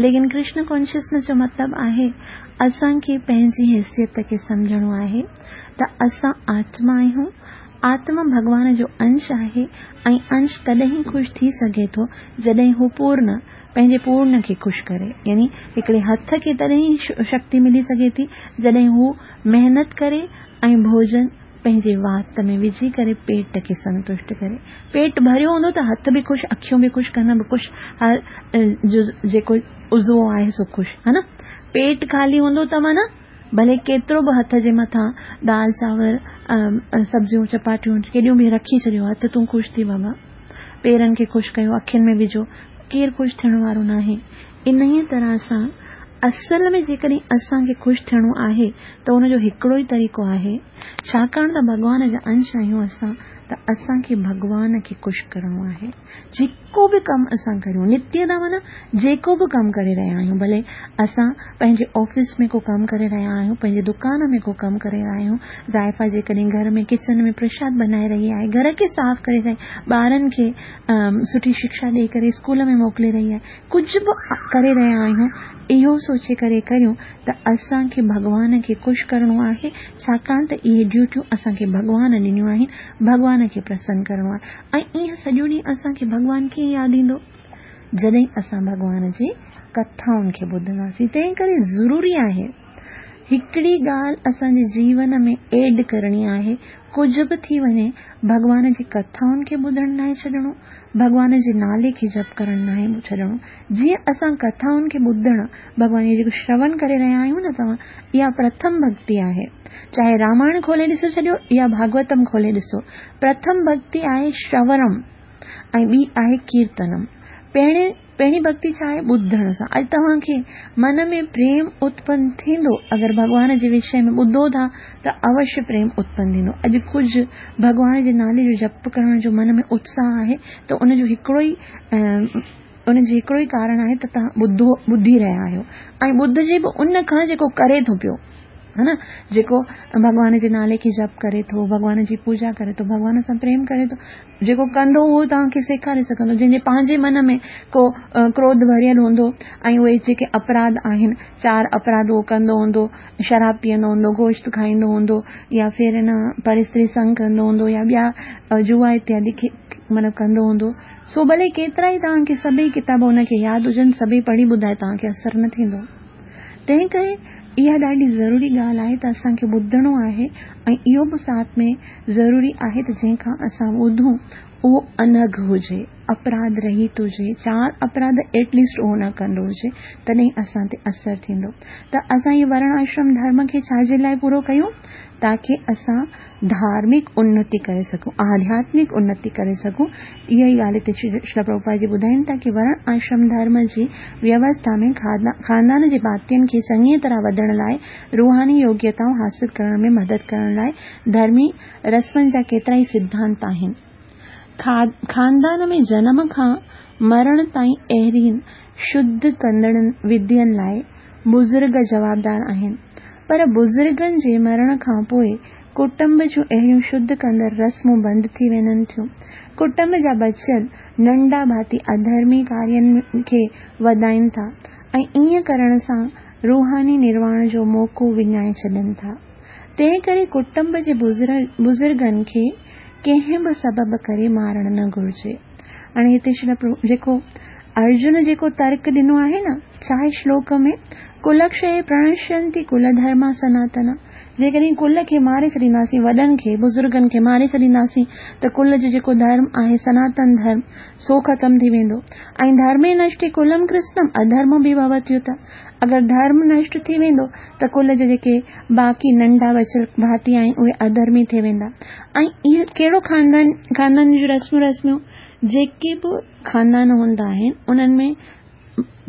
ليڪن ڪرشن ڪانشسنيس جو مطلب آهي اسان کي پنهنجي حيثيت کي سمجهڻو آهي ته اسان آتما آهيون آتما ڀڳوان جو انش آهي ۽ انش تڏهن ئي خوش ٿي سگهي ٿو جڏهن هو پورن، پنهنجي پورن کي خوش ڪري. يعني هڪڙي هٿ کي تڏهن ئي شڪتي ملي سگهي ٿي جڏهن هو محنت ڪري ۽ ڀوڄن پنهنجي وات ۾ وجهي ڪري پيٽ کي سنتشٽ ڪري. پيٽ ڀريو هوندو ته هٿ به خوش، اکيون به خوش، ڪن به خوش، هر جز جيڪو عضوو آهي سو خوش. ها نه؟ پيٽ خالي هوندو ته معنيٰ ڀلي ڪيترو به هٿ جي مٿان دال چانور سبزيون چپاٽيون ڪيڏيون به رکي ڇڏيو هٿ تون خوش ٿي بابا پيرن کي خوش ڪيو اکين ۾ وجهو ڪير خوش ٿيڻ وارو ناهي انهيء طرح سان اصل ۾ جيڪڏهن اسان کي خوش ٿيڻو آهي ته ان جو هڪڙو ئي طريقو آهي ڇاڪاڻ ته ڀڳوان جا انش آهيون اسان ته اسان کي ڀڳوان کي خوش ڪرڻو آهي جيڪو به ڪم اسان ڪريون، نتيه دا معنيٰ جيڪو به ڪم ڪري رهيا آهيون، ڀلي اسان پنهنجي آفيس ۾ ڪو ڪم ڪري رهيا آهيون، پنهنجي دڪان ۾ ڪو ڪم ڪري رهيا آهيون، زائفا جيڪڏهن گهر ۾ ڪچن ۾ پرشاد بنائي رهي آهي، گهر کي صاف ڪري رهي، ٻارن کي سٺي شڪشا ڏئي ڪري اسڪول ۾ موڪلي رهي آهي، ڪجهه به ڪري رهيا آهيون، اهو سوچي ڪري ڪريون ته اسان کي ڀڳوان کي خوش ڪرڻو آهي، ڇاڪاڻ ته اهي ڊيوٽيون اسان کي ڀڳوان ڏنيون آهن، ڀڳوان کي پرسن ڪرڻو آهي. ۽ ائين سڄو ڏينهن اسان کي ڀڳوان ڪيئن ياد ايندو؟ جڏهن اسان ڀڳوان جي ڪٿائن کي ٻڌنداسين. تنهن ڪري ضروري آهي هڪڙي ڳالهه اسان جي جيون ۾ ايڊ ڪرڻي آهي، ڪجهه به ٿي وڃي ڀڳوان جي ڪٿائن کي ٻڌڻ ناهي ڇڏڻو، ڀڳوان جي نالي کي جپ ڪرڻ ناهي ڇڏڻو. جيئن اسان ڪٿائن کي ٻڌڻ، ڀڳوان جو جيڪو شرون ڪري رهيا آهيون نه توهان، اها پرٿم ڀڳتي آهي. چاهي رامائڻ کولي ڏسو ڇڏيو يا ڀاڳوتم کولي ڏسو. پرٿم ڀڳتي آهي شرونم ۽ ٻي آهي ڪيرتنم. پهرين پهرين ڀڳتي ڇا آهي؟ ٻڌڻ سان. اڄ توهان کي من ۾ پريم اتپن ٿيندو اگر ڀڳوان جي وشي ۾ ٻڌو ٿا ته اوشيه پريم اتپن ٿيندو. اڄ ڪجهه ڀڳوان جي نالي جو جپ ڪرڻ جو من ۾ اتساهه آهي ته ان جو هڪڙو ئي ان جو هڪڙو ئي ڪارڻ آهي ته توهان ٻڌو ٻڌي رهيا آهيو ۽ ٻڌجي به ان کان جيڪو ڪري ٿو پيو ها نه جيڪو ڀڳوان جي نالي کي جپ ڪري ٿو ڀڳوان جي پوڄا ڪري ٿو ڀڳوان سان پريم ڪري ٿو جيڪو ڪندو اهو توهان کي سيکاري سگهندو جنهن جي پنهنجي من ۾ ڪو ڪروڌ ڀريل هوندو ۽ اهي جيڪي اپراڌ آهن چار اپراڌ اهو ڪندو هوندو شراب پيئندو هوندو گوشت کائيندو هوندو يا ڦر نه پر استري سنگ ڪندو هوندو يا ٻيا جوا اتيادي مطلب ڪندو هوندو سو ڀلي ڪيترا ئي توهان کي سڀئي ڪتاب ان کي ياد هجن، سڀئي پڙهي ٻڌائي توهان کي اثر نه ٿيندو. تنهن ڪري اها ڏاڍي ضروري ڳالهه آهي ته اسان کي ٻڌڻو آهي ۽ اهو به ساٿ ۾ ضروري آهي ته جنهن کان اسان ٻڌون اهو انگهه هجي. اپراڌ رهت هجي، چار اپراڌ ايٽ ليسٽ اهو نه ڪندو هجي، تڏهن اسان تي اثر ٿيندو. ته اسان هي ورڻ آشرم ڌرم کي ڇا جي لاء پورو ڪيون؟ تاڪي اسان ڌارمڪ انتي ڪري سگهون، آڌياتمڪ انتي ڪري سگهون. اها ئي ڳالهه هتي شريل پرڀوپاد جي ٻڌائين ٿا ڪي ورڻ آشرم ڌرم جي ويوسٿا ۾ خاندان جي ڀاتين کي چڱيء طرح وڌڻ لاء روحاني يوگيتائون حاصل ڪرڻ ۾ مدد ڪرڻ لاء ڌرمي رسمن جا ڪيترائي سڌانت آهن. خاندان ۾ جنم کان مرڻ تائين اهڙين شڌ ڪندڙ وڌين لاء بزرگ جوابدار آهن. پر بزرگن جي مرڻ کان پوء ڪٽنب جون اهڙيون شڌ ڪندڙ رسمون بند ٿي وڃن ٿيون. ڪٽنب جا بچيل ننڍا ڀاتي اڌرمي ڪارين کي وڌائين ٿا ۽ ائين ڪرڻ سان روحاني نرواڻ جو موقعو وڃائي ڇڏين ٿا. تنهنڪري ڪٽنب جي بزرگن کي ڪنهن به سبب ڪري مارڻ نه گهرجي. هاڻي هتي شريل پرڀو جيڪو ارجن جيڪو ترڪ ڏنو آهي نه، ڇا شلوڪ ۾ ڪلڪشي پرڻشينتي ڪل ڌرما سناتنا، جيڪڏهن ڪل کي ماري ڇڏينداسين، وڏن کي، بزرگن کي ماري ڇڏينداسين ته ڪل جو جيڪو ڌرم آهي سناتن ڌرم سو ختم ٿي ويندو. ۽ ڌرمي نشٽي ڪلم ڪرسنم اڌرمو به ڀوتيوت، اگر ڌرم نشٽ ٿي ويندو ته ڪل جا جيڪي باقي ننڍا بچيل ڀاتي آهن اهي اڌرمي ٿي ويندا. ۽ اهو ڪهڙو خاندان، خاندان جون رسمون رسميون جيڪي به خاندان هوندا آهن انهن ۾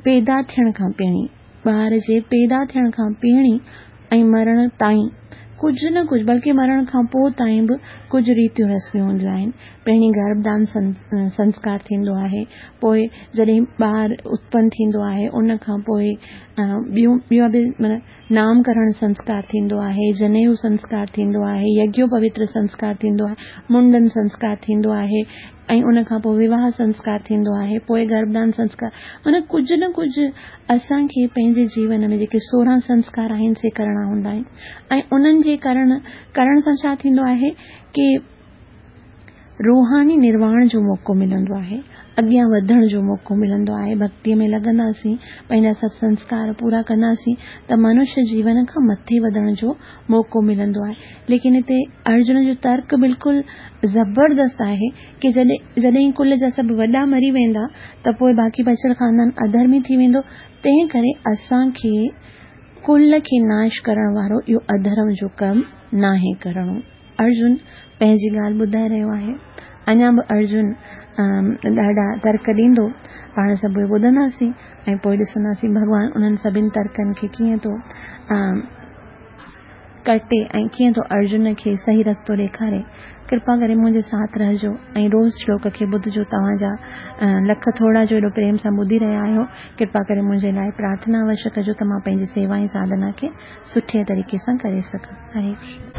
پيدا ٿيڻ کان پهرين، ٻار جي پيدا ٿيڻ کان پهرين ۽ مرڻ تائين ڪجهه نه ڪجهه بلڪه مرڻ کان پوء تائين به ڪجهه ريتيون رسميون هونديون آهن. پهرين گرڀدان سنسڪار ٿيندو آهي، پوء جڏهن ٻار اتپن ٿيندو آهي ان کان پوء ٻيون ٻيون به معنيٰ نام ڪرڻ سنسڪار ٿيندو آهي، جنيو سنسڪار ٿيندو آهي، يگيو پوتر سنسڪار ٿيندو آهي، منڊن سنسڪار ٿيندو آهي ۽ ان کان پوء وواهه سنسڪار ٿيندو آهي، پوء گرڀدان سنسڪار معنيٰ ڪجهه نه ڪجهه اسان کي پنهنجي جيون ۾ جيڪي 16 سنسڪار آهن سي ڪرڻا هوندا آهن ۽ انهن جي ڪرڻ ڪرڻ سان ڇا ٿيندو آهي ڪي روحاني نرواڻ جو موقعو ملندو آهي، اڳيان وڌڻ جو موقعو ملندو آهي، ڀڳتيء ۾ لڳنداسين، پنهنجا سڀ سنسڪار پورا ڪنداسين ته منش جيون کان مٿي وڌڻ جو موقعو ملندو آهي. ليڪن هتي ارجن جو ترڪ بلڪل زبردست آهي ڪي جڏهن ڪل جا سڀ وڏا مري ويندا ته پوء باقي بچيل خاندان اڌرمي ٿي ويندو، تنهن ڪري اسان کي ڪل کي ناش ڪرڻ وارو اهو اڌرم جو ڪم ناهي ڪرڻو. ارجن پنهنجي ڳالهه ٻڌائي رهيو آهي. اڃا به ارجن ڏاڍا ترڪ ڏيندو. پاڻ سڀ اهي ٻڌنداسين ۽ پوء ڏسنداسين ڀڳوان انهن سڀني ترڪن کي ڪيئن ٿو ڪٽي ۽ ڪيئن ٿو ارجن کي صحيح رستو ڏيکاري. ڪرپا ڪري منهنجي ساٿ رهجو ۽ روز شلوڪ کي ٻڌجو. توهان جا لک ٿورا جو ايڏو پريم سان ٻڌي رهيا آهيو. ڪرپا ڪري منهنجي لاء پرارٿنا اوشيه ڪجو ته مان پنهنجي سيوا ۽ ساڌنا کي سٺي طريقي سان ڪري سگهان. هري ڪرشن.